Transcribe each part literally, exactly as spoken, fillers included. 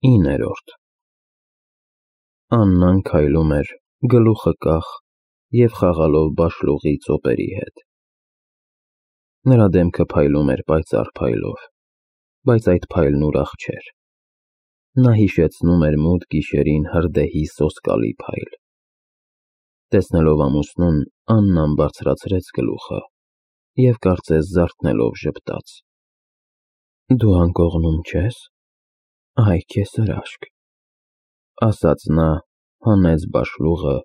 Իններորդ Աննան քայլում էր, գլուխը կախ և խաղալով բաշլուղի ծոպերի հետ։ Նրա դեմքը փայլում էր պայծառ փայլով, բայց այդ փայլն ուրախ չէր։ Նա հիշեցնում էր մութ գիշերին հրդեհի սոսկալի փայլ։ Տեսնելով ամուսնուն, Աննան բարձրացրեց գլուխը և կարծես զարթնելով ժպտաց. Դու անկողնում չես, այ քեզ հրաշք, ասաց նա, հանեց բաշլուղը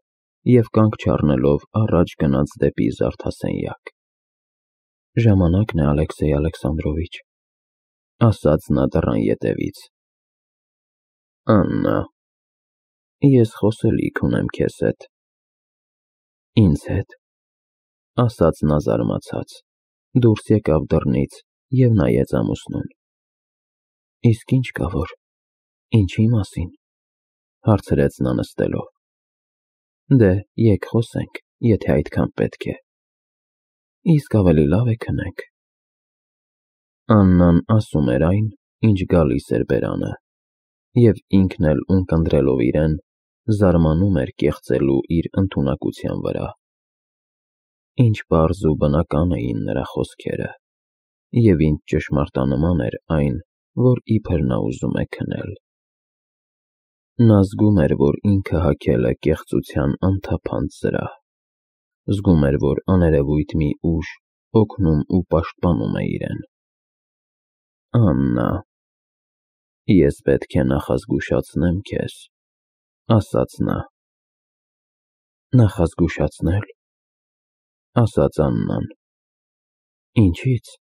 և կանգ չառնելով առաջ գնաց դեպի զարդասենյակ։ Ժամանակն է, Ալեքսեյ Ալեքսանդրովիչ, ասաց նա դռան ետևից։ Աննա, ես խոսելիք ունեմ քեզ հետ։ Ինձ հետ, ասաց նա զարմացած, դուրս եկավ դռնից և նայեց ամուսնուն։ Իսկ ինչ կա որ, ինչի մասին, հարցրեց նա նստելով։ Դե, եկ խոսենք, եթե այդքան պետք է։ Իսկ ավելի լավ է քնենք։ Աննան ասում էր այն, ինչ գալիս էր բերանը, և ինքն էլ ունկնդրելով իրեն, զարմանում էր կեղծելու իր ընդունակության վրա։ Ինչ պարզ ու բնական էին նրա խոսքերը, և ինչ ճշմարտանման էր այն, որ իբր նա ուզում է քնել։ Նա զգում էր, որ ինքը հագել է կեղծության անթափանց զրահ, զգում էր, որ աներևույթ մի ուժ օգնում ու պաշտպանում է իրեն։ Աննա, ես պետք է նախազգուշացնեմ քեզ, ասաց նա։ Նախազգուշացնե՞լ, ասաց Աննան։ Ինչի՞ց։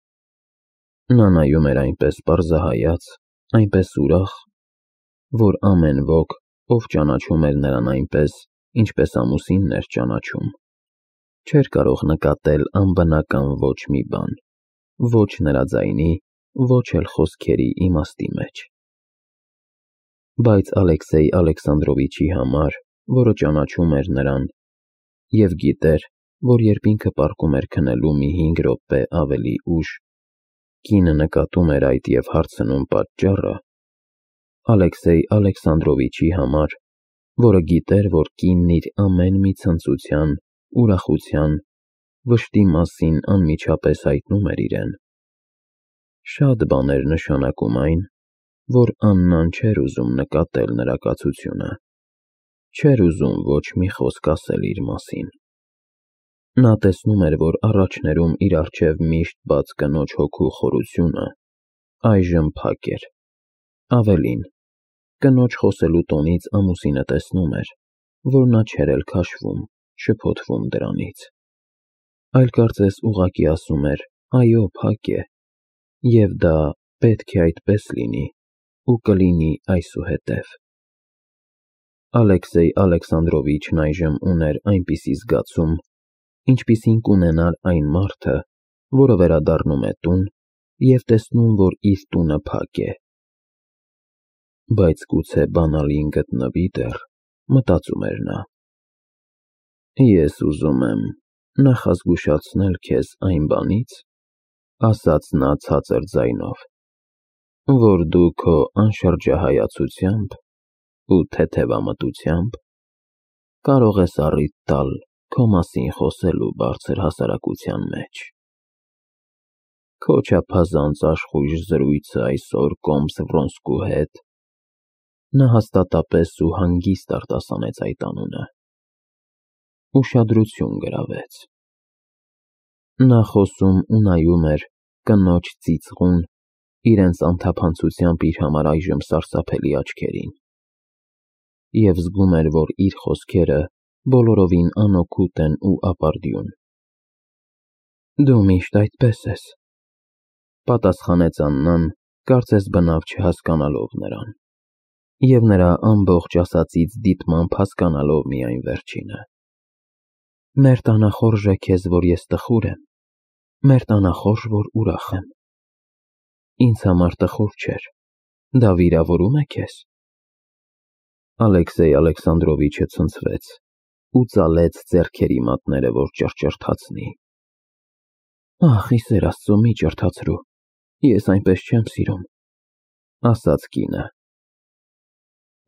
Նա նայում էր այնպես պարզահայաց, այնպես ուրախ, որ ամեն ոք, ով ճանաչում էր նրան այնպես, ինչպես ամուսինն էր ճանաչում, չէր կարող նկատել անբնական ոչ մի բան, ոչ նրա ձայնի, ոչ էլ խոսքերի իմաստի մեջ։ Բայց Ալեքսեյ Ալեքսանդրովիչի համար, որը ճանաչում էր նրան և գիտեր, որ երբ ինքը պառկում էր քնելու մի հինգ րոպե ավելի ուշ, կինը նկատում էր այդ և հարցնում պատճառը, Ալեքսեյ Ալեքսանդրովիչի համար, որը գիտեր, որ կինն իր ամեն մի ցնծության, ուրախության, վշտի մասին անմիջապես հայտնում էր իրեն, շատ բան էր նշանակում այն, որ Աննան չէր ուզում նկատել նրա կացությունը, չէր ուզում ոչ մի խոսք ասել իր մասին։ Նա տեսնում էր, որ առաջներում իր առջև միշտ բաց կնոջ հոգու խորությունը այժմ փակ էր։ Ավելին, կնոջ խոսելու տոնից ամուսինը տեսնում էր, որ նա չէր էլ քաշվում, շփոթվում դրանից, այլ կարծես ուղղակի ասում էր. այո, փակ է, և դա պետք է այդպես լինի ու կլինի այսուհետև։ Ալեքսեյ Ալեքսանդրովիչն այժմ ուներ այնպիսի զգացում, ինչպիսին կունենար այն մարդը, որը վերադառնում է տուն և տեսնում, որ իր տունը փակ է։ Բայց գուցե բանալին գտնվի դեռ, մտածում էր նա։ Ես ուզում եմ նախազգուշացնել քեզ այն բանից, ասաց նա ցածր ձայնով, որ դու քո անշրջահայացությամբ ու թեթևամտությամբ կարող ես առիթ տալ քո մասին խոսելու բարձր հասարակության մեջ։ Քո չափազանց աշխույժ զրույցը այսօր կոմս Վրոնսկու հետ, նա հաստատապես ու հանգիստ արտասանեց այդ անունը, ուշադրություն գրավեց։ Նա խոսում ու նայում էր կնոջ ծիծաղուն, իրենց անթափանցությամբ իր համար այժմ սարսափելի աչքերին, և զգում էր, որ իր խոսքերը բոլորովին անօգուտ են ու ապարդյուն։ Դու միշտ այդպես ես, պատասխանեց Աննան, կարծես բնավ չհասկանալով նրան, և նրա ամբողջ ասածից դիտմամբ հասկանալով միայն վերջինը։ Մեր տանը խորժ է քեզ, որ ես տխուր եմ, մեր տանը խորժ, որ ուրախ եմ։ Ինձ համար տխուր չէր, դա վիրավորում է քեզ։ Ալեքսեյ Ալեքսանդրովիչը ցնցվեց ու ծալեց ձեռքերի մատները, որ ճռճռթացնի։ Ախ, ի սեր Աստծո, մի ջրթացրու, ես այնպես չեմ սիրում, ասաց կինը։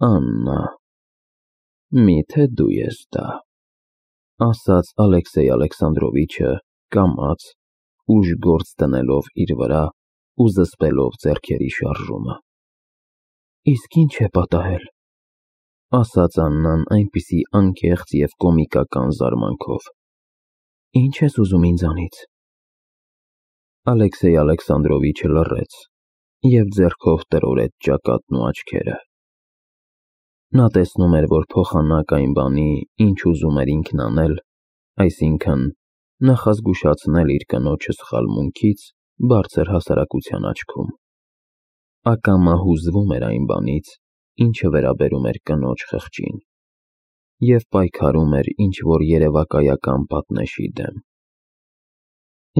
Աննա, միթե դու ես դա, ասաց Ալեքսեյ Ալեքսանդրովիչը կամաց, ուժ գործ դնելով իր վրա ու զսպելով ձեռքերի շարժումը։ Իսկ ինչ է պատահել, ասաց Աննան այնպիսի անկեղծ և կոմիկական զարմանքով։ Ինչ ես ուզում ինձանից։ Ալեքսեյ Ալեքսանդրովիչը լռեց և ձեռքով տրորեց ճակատն ու աչքերը։ Նա տեսնում էր, որ փոխանակ այն բանի, ինչ ուզում էր ինքն անել, այսինքն նախազգուշացնել իր կնոջը սխալմունքից, բարձր հասարակության աչքում, ակամա հուզվում էր այն բանից, ինչը վերաբերում էր կնոջ խղճին, և պայքարում էր ինչ-որ երևակայական պատնեշի դեմ։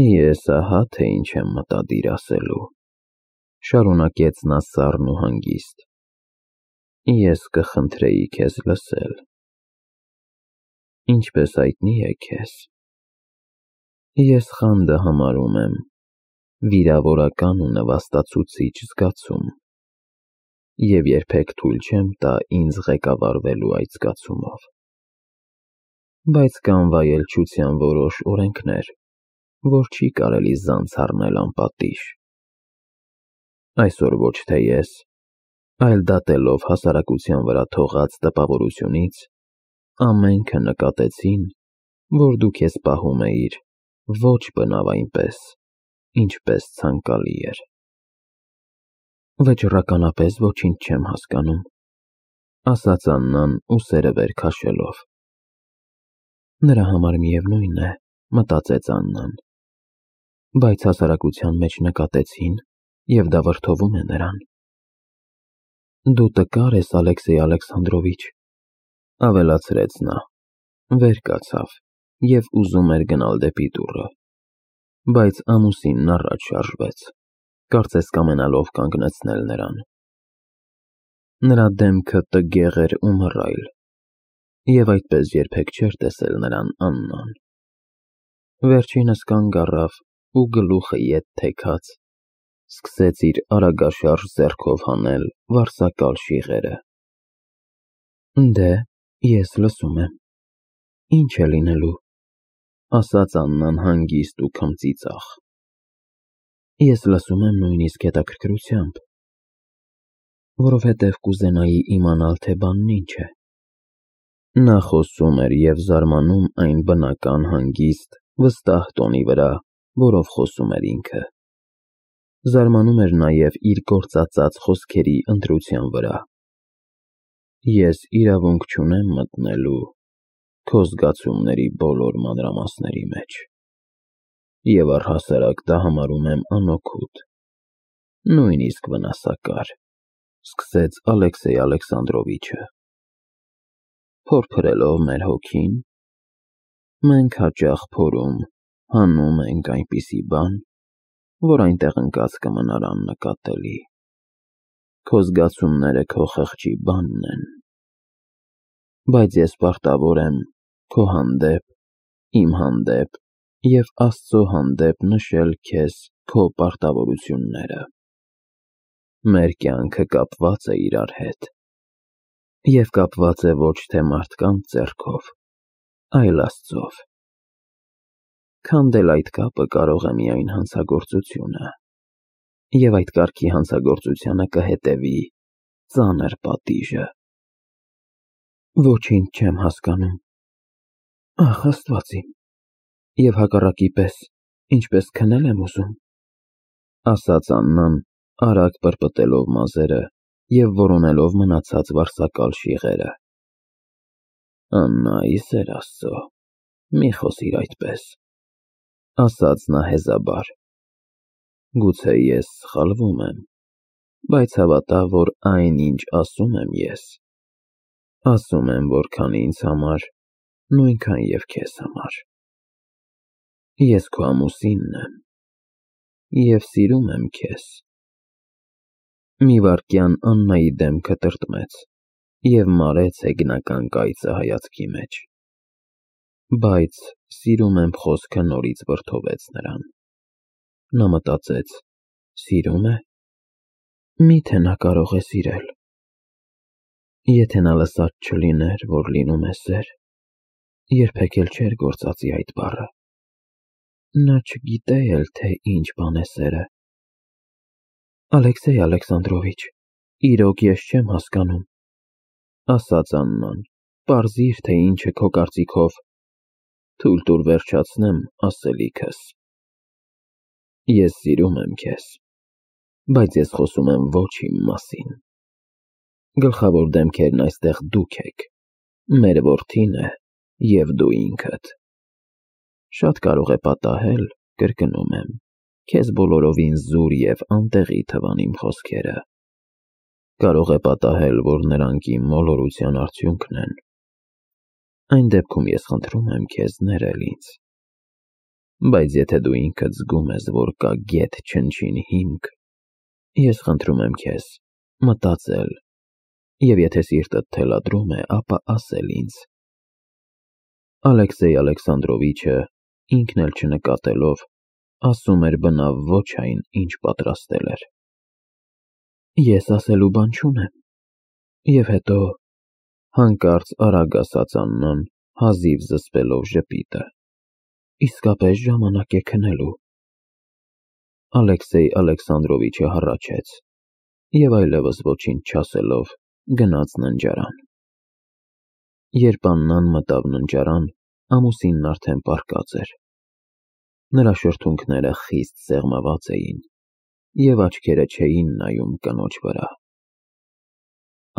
Ես ահա թե ինչ եմ մտադիր ասելու, շարունակեց նա սառն ու հանգիստ։ Ես կխնդրեի քեզ լսել։ Ինչպես հայտնի է քեզ, ես խանդը համարում եմ վիրավորական ու նվաստացուցիչ զգացում և երբեք թույլ չեմ տա ինձ ղեկավարվելու այդ զգացումով։ Բայց կան վայելչության որոշ օրենքներ, որ չի կարելի զանց առնել անպատիժ։ Այսօր ոչ թե ես, այլ դատելով հասարակության վրա թողած տպավորությունից, ամենքը նկատեցին, որ դու քեզ պահում էիր ոչ բնավ այնպես, ինչպես ցանկալի էր։ Վճռականապես ոչինչ չեմ հասկանում, ասաց Աննան ուսերը վեր քաշելով։ Նրա համար միևնույն է, մտածեց Աննան, բայց հասարակության մեջ նկատեցին, և դա վրդովում է նրան։ Դու տկար ես, Ալեքսեյ Ալեքսանդրովիչ, ավելացրեց նա, վեր կացավ և ուզում էր գնալ դեպի դուռը, բայց ամուսինն առաջ շարժվեց, կարծես կամենալով կանգնեցնել նրան։ Նրա դեմքը տգեղ էր ու մռայլ, և այդպես երբեք չէր տեսել նրան Աննան։ Վերջինս կանգ առավ ու գլուխը ետ թեքած, սկսեց իր արագաշարժ ձեռքով հանել վարսակալ շիղերը։ Դե, ես լսում եմ, ինչ է լինելու, ասաց Աննան հանգիստ ու քմծիծաղ։ Ես լսում եմ նույնիսկ հետաքրքրությամբ, որովհետև կուզենայի իմանալ, թե բանն ինչ է։ Նա խոսում էր և զարմանում այն բնական հանգիստ, վստահ տոնի վրա, որով խոսում էր ինքը։ Զարմանում էր նաև իր գործածած խոսքերի ընտրության վրա։ Ես իրավունք չունեմ մտնելու քո զգացումների բոլոր մանրամասների մեջ, և առհասարակ դա համարում եմ անօգուտ, նույնիսկ վնասակար, սկսեց Ալեքսեյ Ալեքսանդրովիչը։ Փորփրելով մեր հոգին, մենք հաճախ փորում, հանում ենք այնպիսի բան, որ այնտեղ ընկած կմնար աննկատելի։ Քո զգացումները քո խղճի բանն են։ Բայց ես պարտավոր եմ քո հանդեպ, իմ հանդեպ և Աստծո հանդեպ նշել քեզ քո պարտավորությունները։ Մեր կյանքը կապված է իրար հետ, և կապված է ոչ թե մարդկանց ձեռքով, այլ Աստծով։ Քանդել այդ կապը կարող է միայն հանցագործությունը, և այդ կարգի հանցագործությանը կհետևի ծանր պատիժը։ Ոչինչ չեմ հասկանում։ Ախ, Աստված իմ, և հակառակի պես, ինչպես քնել եմ ուզում, ասաց Աննան, արագ պրպտելով մազերը և որոնելով մնացած վարսակալ շիղերը։ Աննա, ի սեր Աստծո, մի խոսիր այդպես, ասաց նա հեզաբար։ Գուցե ես սխալվում եմ, բայց հավատա, որ այն, ինչ ասում եմ ես, ասում եմ, որքան ինձ համար, նույնքան և քեզ համար։ Ես քո ամուսինն եմ և սիրում եմ քեզ։ Մի վայրկյան Աննայի դեմքը տրտմեց և մարեց հեգնական կայծը հայացքի մեջ։ Բայց սիրում եմ խոսքը նորից վրդովեց նրան։ Նա մտածեց. սիրում է, մի՞թե նա կարող է սիրել։ Եթե նա լսած չլիներ, որ լինում է սեր, երբեք էլ չէր գործածի այդ բառը։ Նա չգիտե էլ, թե ինչ բան է սերը։ Ալեքսեյ Ալեքսանդրովիչ, իրոք ես չեմ հասկանում, ասաց Աննան, պարզիր, թե ինչ է քո կարծիքով։ Թույլ տուր վերջացնեմ ասելիքս։ Ես սիրում եմ քեզ, բայց ես խոսում եմ ոչ իմ մասին։ Գլխավոր դեմքերն այստեղ դուք եք, մեր որդին է և դու ինքդ։ Շատ կարող է պատահել, կրկնում եմ, քեզ բոլորովին զուր և անտեղի թվան իմ խոսքերը։ Կարող է պատահել, որ նրանք իմ մոլորության արդյունքն են։ Այն դեպքում ես խնդրում եմ քեզ ներել ինձ։ Բայց եթե դու ինքդ զգում ես, որ կա գեթ չնչին հիմք, ես խնդրում եմ քեզ մտածել, և եթե սիրտդ թելադրում է, ապա ասել ինձ։ Ալեքսեյ Ալեքսանդրովիչը, ինքն էլ չնկատելով, ասում էր բնավ ոչ այն, ինչ պատրաստել էր։ Ես ասելու բան չունեմ։ Եվ հետո, հանկարծ արագ ասաց Աննան, հազիվ զսպելով ժպիտը, իսկապես ժամանակ է քնելու։ Ալեքսեյ Ալեքսանդրովիչը հառաչեց և այլևս ոչինչ չասելով, գնաց ննջարան։ Երբ Աննան մտավ ննջարան, ամուսինն արդեն պառկած էր։ Նրա շրթունքները խիստ սեղմված էին, և աչքերը չէին նայում կնոջ վրա։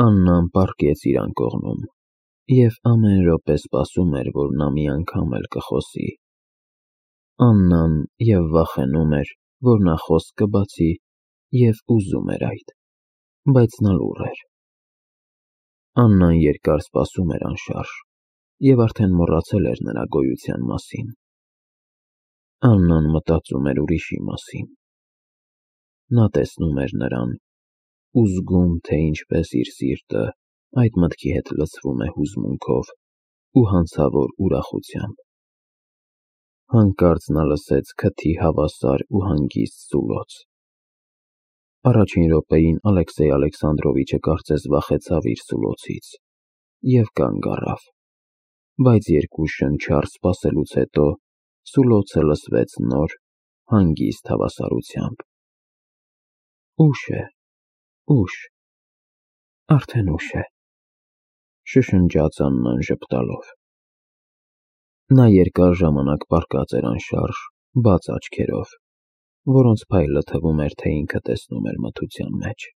Աննան պառկեց իր անկողնում և ամեն րոպե սպասում էր, որ նա մի անգամ էլ կխոսի։ Աննան և վախենում էր, որ նա խոսք կբացի, և ուզում էր այդ, բայց նա լուռ էր։ Աննան երկար սպասում էր անշարժ և արդեն մոռացել էր նրա գոյության մասին։ Աննան մտածում էր ուրիշի մասին։ Նա տեսնում էր նրան ու զգում, թե ինչպես իր սիրտը այդ մտքի հետ լցվում է հուզմունքով ու հանցավոր ուրախությամբ։ Հանկարծ նա լսեց քթի հավասար ու հանգիստ սուլոց։ Առաջին րոպեին Ալեքսեյ Ալեքսանդրովիչը կարծես վախեցավ իր սուլոցից և կանգ առավ, բայց երկու շնչառ սպասելուց հետո սուլոցը լսվեց նոր, հանգիստ հավասարությամբ։ Ուշ է, ուշ, արդեն ուշ է, շշնջաց Աննան ժպտալով։ Նա երկար ժամանակ պառկած էր անշարժ, բաց աչքերով, որոնց փայլը թվում էր, թե ինքը տեսնում էր մթության մեջ։